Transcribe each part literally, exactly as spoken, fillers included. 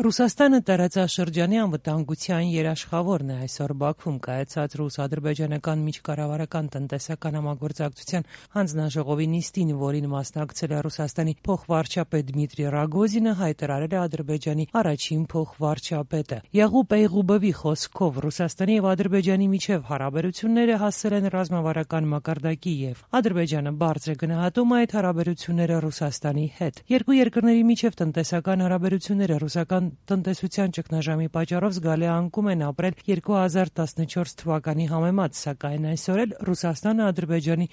Ռուսաստանը տարածաշրջանի անվտանգության երաշխավորն է։ Այսօր Բաքվում կայացած ռուս-ադրբեջանական միջկառավարական տնտեսական համագործակցության հանձնաժողովի նիստին, որին մասնակցել է Ռուսաստանի փոխվարչապետ Դմիտրի Ռագոզինը, հայտարարել է Ադրբեջանի առաջին փոխվարչապետը։ Յաղուբ Էյղուբովի խոսքով Ռուսաստանի եւ Ադրբեջանի միջև հարաբերությունները հասել են ռազմավարական մակարդակի եւ Ադրբեջանը բարձր է գնահատում այդ հարաբերությունները Ռուսաստանի հետ։ Երկու երկրների միջև տնտեսական հարաբերությունները ռուսական տնտեսության ճգնաժամի պատճառով զգալի անկում են ապրել երկու հազար տասնչորս թվականի համեմատ, սակայն այսօր էլ Ռուսաստանը Ադրբեջանի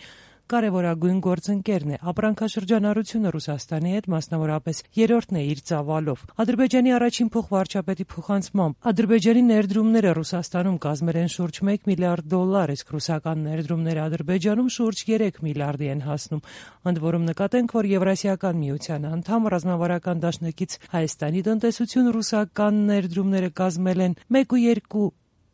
կարևորագույն գործընկերն է։ Ապրանքաշրջանառությունը Ռուսաստանի հետ մասնավորապես երրորդն է իր ծավալով։ Ադրբեջանի առաջին փոխվարչապետի փոխանցմամբ Ադրբեջանի ներդրումները Ռուսաստանում կազմել են շուրջ մեկ միլիարդ դոլար, իսկ ռուսական ներդրումները Ադրբեջանում շուրջ երեք միլիարդի են հասնում։ Ընդ որում նկատենք, որ Եվրասիական միության անդամ ռազմավարական դաշնակից Հայաստանի տնտեսություն ռուսական ներդրումները կազմել են մեկ ու երկու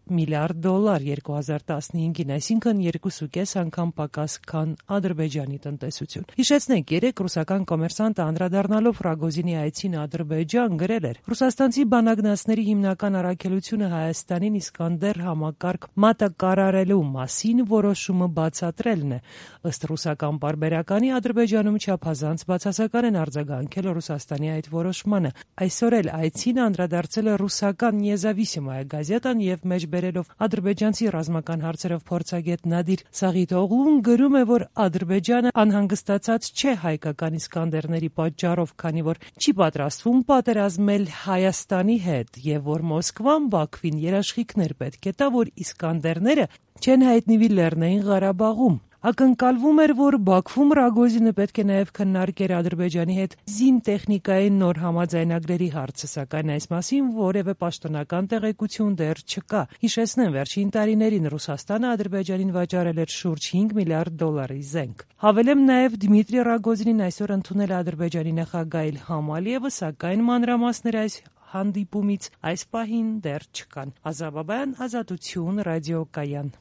միլիարդ դոլար երկու հազար տասնհինգին, այսինքն երկուսուկես անգամ պակաս, քան Ադրբեջանի տնտեսություն։ Հիշեցնենք, երեկ ռուսական կոմերսանտը անդրադառնալով Ռագոզինի այցին Ադրբեջան գրել էր. «Ռուսաստանցի բանագնացների հիմնական առաքելությունը Հայաստանին Իսկանդեր համակարգ մատակարարելու մասին որոշումը բացատրելն է»։ Ըստ ռուսական պարբերականի, Ադրբեջանում չափազանց բացասական են արձագանքել Ռուսաստանի այդ որոշմանը։ Այսօր էլ այցին անդրադարձել է ռուսական Նեզավիսիմայա գազետան եւ մեջ բերելով ադրբեջանցի ռազմական հարցերով փորձագետ Նադիր Սաղիթօղլուն գրում է, որ Ադրբեջանը անհանգստացած չէ հայկական Իսկանդերների պատճառով, քանի որ չի պատրաստվում պատերազմել Հայաստանի հետ եւ որ Մոսկվան Բաքվին երաշխիքներ պետք է տա, որ Իսկանդերները չեն հայտնվի Լեռնային Ղարաբաղում։ Ակնկալվում էր, որ Բաքվում Ռագոզինը պետք է նաև քննարկեր Ադրբեջանի հետ զինտեխնիկայի նոր համաձայնագրերի հարցը, սակայն այս մասին որևէ պաշտոնական տեղեկություն դեռ չկա։ Հիշեցնեմ, վերջին տարիներին Ռուսաստանը Ադրբեջանին վաճառել էր շուրջ հինգ միլիարդ դոլարի զենք։ Հավելեմ նաև Դմիտրի Ռագոզինին այսօր ընդունել է Ադրբեջանի նախագահ Իլհամ Ալիևը, սակայն մանրամասներ այս հանդիպումից այս պահին դեռ չկան։ Ազա Բաբայան, Ազատություն, ռադիոկայան։